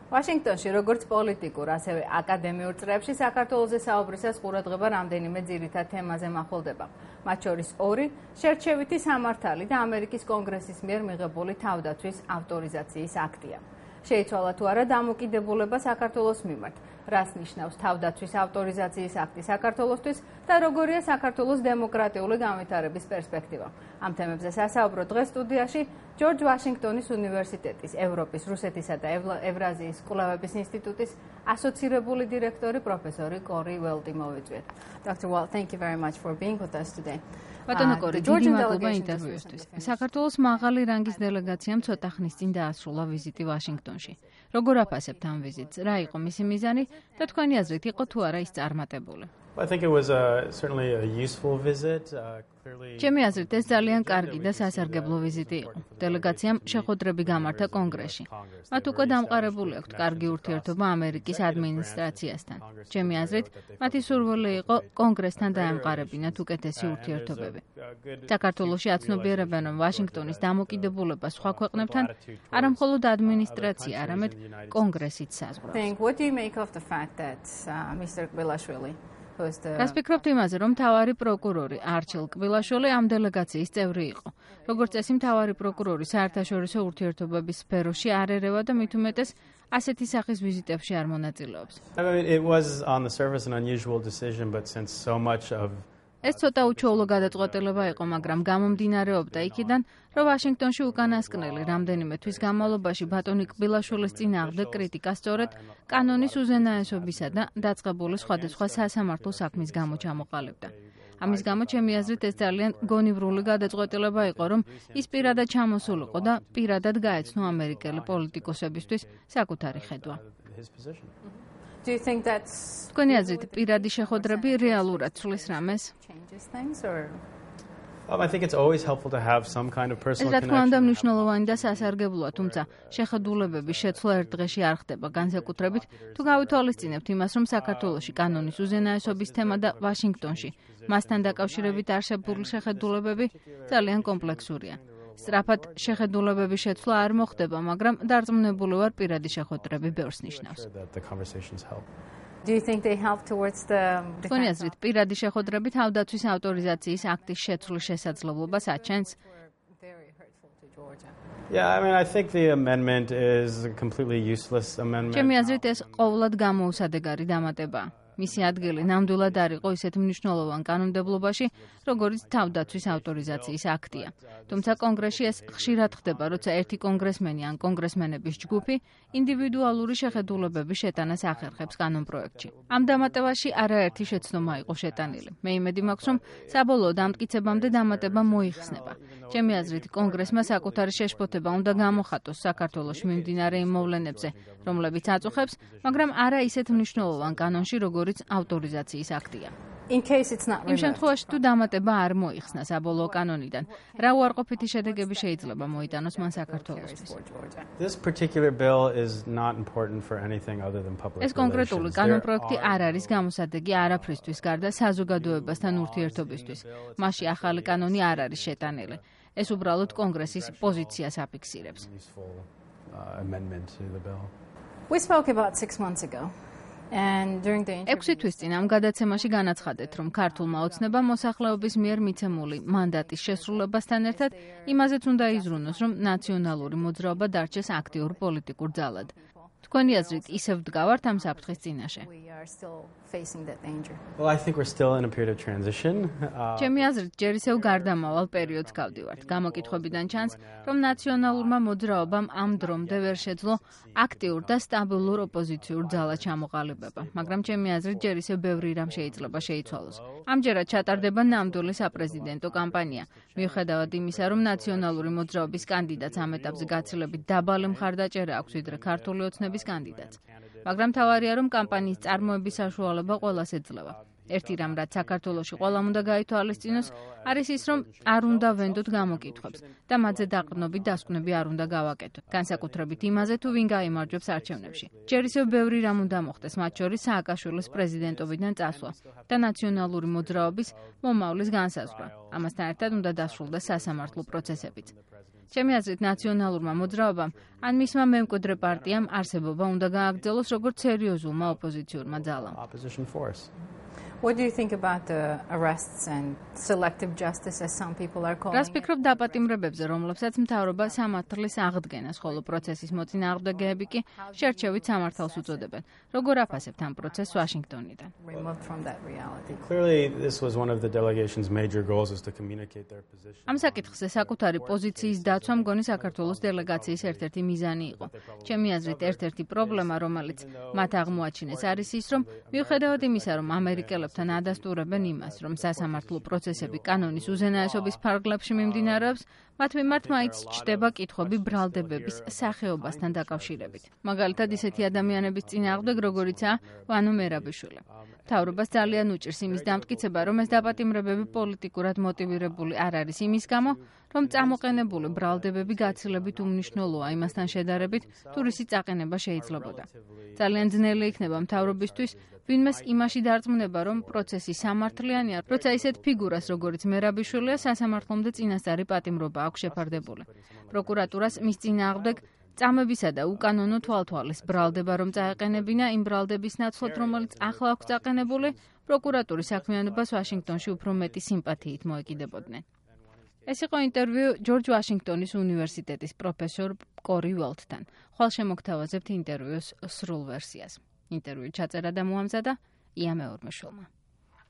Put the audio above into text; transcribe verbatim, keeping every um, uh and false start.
ვაშინგტონში როგორც პოლიტიკურ, ასევე აკადემიურ წრეებში საქართველოზე საუბრისას ყურადღება რამდენიმე ძირითად თემაზე მახვილდება. მათ შორის ორი შერჩევითი სამართალი და ამერიკის კონგრესის მიერ მიღებული თავდაცვის ავტორიზაციის აქტია. შეიცვალა თუ არა დამოკიდებულება საქართველოს მიმართ, რას ნიშნავს თავდაცვის ავტორიზაციის აქტი საქართველოსთვის და როგორია საქართველოს დემოკრატიული განვითარების პერსპექტივა. ამ თემებზე სასაუბრო დღეს სტუდიაში ჯორჯ ვაშინგტონის უნივერსიტეტის ევროპის, რუსეთისა და ევრაზიის კვლევების ინსტიტუტის ასოცირებული დირექტორი პროფესორი კორი ველტი მოვიწვიეთ. Doctor Walt, thank you very much for being with us today. ბატონო კორი, დიდი მადლობა ინტერვიუსთვის. საქართველოს მაღალი რანგის დელეგაციამ ცოტა ხნის წინ დაასრულა ვიზიტი ვაშინგტონში. როგორ აფასებთ ამ ვიზიტს? რა იყო მისი მიზანი და თქვენი აზრით იყო თუ არა ის წარმატებული? I think it was a, certainly a useful visit. Uh, clearly ჩემი აზრით ეს ძალიან კარგი და სასარგებლო ვიზიტი იყო. დელეგაციამ შეხვედრები გამართა კონგრესში. მათ უკვე დამყარებული აქვთ კარგი ურთიერთობა ამერიკის ადმინისტრაციასთან. ჩემი აზრით, მათი სურვილი იყო კონგრესთან დაემყარებინათ უკეთესი ურთიერთობები. საქართველოში აცნობიერებენ, რომ ვაშინგტონის დამოკიდებულება სხვა ქვეყნებთან არა მხოლოდ ადმინისტრაცია, არამედ კონგრესიც საზღვრავს. What do you make of the fact that uh, Mister Kbilashvili რას ფიქრობთ იმაზე, რომ მთავარი პროკურორი არჩილ კბილაშვილი ამ დელეგაციის წევრი იყო? როგორც წესი, მთავარი პროკურორი საერთაშორისო ურთიერთობების სფეროში არ ერევა და მით უმეტეს ასეთი სახის ვიზიტებში არ მონაწილეობს. I mean, it was on the surface an unusual decision, but since so much of ეს ცოტა უჩვეულო გადაწყვეტილება იყო, მაგრამ გამომდინარეობდა იქიდან, რომ ვაშინგტონში უკანასკნელი რამდენიმე თვის განმავლობაში ბატონი კბილაშვილის წინააღმდეგ კრიტიკა სწორედ კანონის უზენაესობისა და დაწყებული სხვადასხვა სასამართლო საქმის გამო ჩამოყალიბდა. ამის გამო ჩემი აზრით ეს ძალიან გონივრული გადაწყვეტილება იყო, რომ ის პირადად ჩამოსულიყო და პირადად გაეცნო ამერიკელი პოლიტიკოსებისთვის საკუთარი ხედვა. Do you think that's თქვენი აზრით პირადი შეხვედრები რეალურად ცვლის რამეს? changes things or um, I think it's always helpful to have some kind of personal ეს რა თქმა უნდა connection. მნიშვნელოვანი და სასარგებლოა, თუმცა შეხედულებების შეცვლა ერთ დღეში არ ხდება, განსაკუთრებით თუ გავითვალისწინებთ იმას, რომ საქართველოში კანონის უზენაესობის თემა და ვაშინგტონში მასთან დაკავშირებით არსებული შეხედულებები ძალიან კომპლექსურია. სწრაფად შეხედულებების შეცვლა არ მოხდება, მაგრამ დარწმუნებული ვარ პირადი შეხვედრები ბევრს ნიშნავს. That the conversations help. do you think they help towards the თქვენი აზრით, პირადი შეხვედრები თავდაცვის ავტორიზაციის აქტის შეცვლის შესაძლებლობას აჩენს? very hurtful to Georgia? Yeah, I mean, I think the amendment is a completely useless amendment. ჩემი აზრით ეს ყოვლად გამოუსადეგარი დამატებაა. მისი ადგილი ნამდვილად არ იყო ისეთ მნიშვნელოვან კანონმდებლობაში, როგორც თავდაცვის ავტორიზაციის აქტია. თუმცა კონგრესში ეს ხშირად ხდება, როცა ერთი კონგრესმენი ან კონგრესმენების ჯგუფი ინდივიდუალური შეხედულებების შეტანას ახერხებს კანონპროექტში. ამ დამატებაში არაერთი შეცდომა იყო შეტანილი. მე იმედი მაქვს, რომ საბოლოო დამტკიცებამდე დამატება მოიხსნება. ჩემი აზრით, კონგრესმა საკუთარი შეშფოთება უნდა გამოხატოს საქართველოში მიმდინარე იმ მოვლენებზე, რომლებიც აწუხებს, მაგრამ არა ისეთ მნიშვნელოვან კანონში, როგორც ავტორიზაციის აქტია. In case it's not იმ შემთხვევაში თუ დამატება არ მოიხსნა საბოლოო კანონიდან, რა უარყოფითი შედეგები შეიძლება მოიტანოს მან საქართველოსთვის? This particular bill is not important for anything other than public ეს კონკრეტული relations. კანონპროექტი არ არის გამოსადეგი არაფრისთვის გარდა საზოგადოებასთან ურთიერთობისთვის. მასში ახალი კანონი არ არის შეტანილი. ეს უბრალოდ კონგრესის პოზიციას აფიქსირებს. Useful uh, amendment to the bill. We spoke about six months ago. And during the ექვსი თვის წინ ამ გადაცემაში განაცხადეთ, რომ ქართულმა ოცნებამ მოსახლეობის მიერ მიცემული მანდატის შესრულებასთან ერთად იმაზეც უნდა იზრუნოს, რომ ნაციონალური მოძრაობა დარჩეს აქტიურ პოლიტიკურ ძალად. თქვენი აზრით, ისევ ვდგავართ ამ საფრთხის წინაშე? we are still facing that danger. Well, I think we're still in a period of transition. Uh, ჩემი აზრით, ჯერ ისევ გარდამავალ პერიოდს გავდივართ. გამოკითხვებიდან ჩანს, რომ ნაციონალურმა მოძრაობამ ამ დრომდე ვერ შეძლო აქტიურ და სტაბილურ ოპოზიციურ ძალად ჩამოყალიბება, მაგრამ ჩემი აზრით, ჯერ ისევ ბევრი რამ შეიძლება შეიცვალოს. ამჯერად ჩატარდება ნამდვილი საპრეზიდენტო კამპანია. მიუხედავად იმისა, რომ ნაციონალური მოძრაობის კანდიდატს ამ ეტაპზე გაცილებით დაბალი მხარდაჭერა აქვს ვიდრე ქართული ოცნების კანდიდატს. მაგრამ თავარია, რომ კამპანიის წარმოების საშუალება ყველას ეძლევა. ერთი რამ, რაც საქართველოში ყველამ უნდა გაითვალისწინოს, არის ის, რომ არ უნდა ვენდოთ გამოკითხვებს და მათზე დაყრდნობით დასკვნები არ უნდა გავაკეთოთ. განსაკუთრებით იმაზე, თუ ვინ გაიმარჯვებს არჩევნებში. ჯერ ისევ ბევრი რამ უნდა მოხდეს, მათ შორის სააკაშვილის პრეზიდენტობიდან წასვლა და ნაციონალური მოძრაობის მომავლის განსაზღვრა. ამასთან ერთად უნდა დასრულდეს სასამართლო პროცესებიც. ჩემი აზრით, ნაციონალურმა მოძრაობამ ან მისმა მემკვიდრე პარტიამ არსებობა უნდა გააგრძელოს როგორც სერიოზულმა ოპოზიციურმა ძალამ. What do you think about the arrests and selective justice as some people are calling? რას ფიქრობ დაპატიმრებებზე, რომლებსაც მთავრობა სამართლის აღდგენას, ხოლო პროცესის მოწინააღმდეგეები კი შერჩევით სამართალს უწოდებენ. როგორ აფასებთ ამ პროცესს ვაშინგტონიდან? Removed from that reality. Clearly, this was one of the delegation's major goals is to communicate their position. ამ საკითხზე საკუთარი პოზიციის დაცვა მგონი საქართველოს დელეგაციის ერთ-ერთი მიზანი იყო. ჩემი აზრით, ერთ-ერთი პრობლემა, რომელიც მათ აღმოაჩინეს, არის ის, რომ მიუხედავად იმისა, რომ ამერიკელები თან ადასტურებენ იმას, რომ სასამართლო პროცესები კანონის უზენაესობის ფარგლებში მიმდინარეობს, მათ მიმართ მაინც ჩდება კითხვები ბრალდებების სახეობასთან დაკავშირებით. მაგალითად, ისეთი ადამიანების წინააღმდეგ, როგორიცაა ვანო მერაბიშვილი. მთავრობას ძალიან უჭირს იმის დამტკიცება, რომ ეს დაპატიმრებები პოლიტიკურად მოტივირებული არ არის იმის გამო, რომ წამოყენებული ბრალდებები გაცილებით უმნიშვნელოა იმასთან შედარებით, თუ რისი წაყენება შეიძლებოდა. ძალიან ძნელი იქნება მთავრობისთვის ვინმეს იმაში დარწმუნება, რომ პროცესი სამართლიანია, როცა ისეთ ფიგურას, როგორიც მერაბიშვილია, სასამართლომდე წინასწარი პატიმრობა აქვს შეფარდებული. პროკურატურას მის წინააღმდეგ წამებისა და უკანონო თვალთვალის ბრალდება რომ წაეყენებინა იმ ბრალდების ნაცვლად, რომელიც ახლა აქვს წაყენებული, პროკურატურის საქმიანობას ვაშინგტონში უფრო მეტი სიმპათიით მოეკიდებოდნენ. ეს იყო ინტერვიუ ჯორჯ ვაშინგტონის უნივერსიტეტის პროფესორ კორი ველთთან. ხვალ შემოგთავაზებთ ინტერვიუს სრულ ვერსიას. ინტერვიუ ჩაწერა და მოამზადა ია მეორმაშვილმა.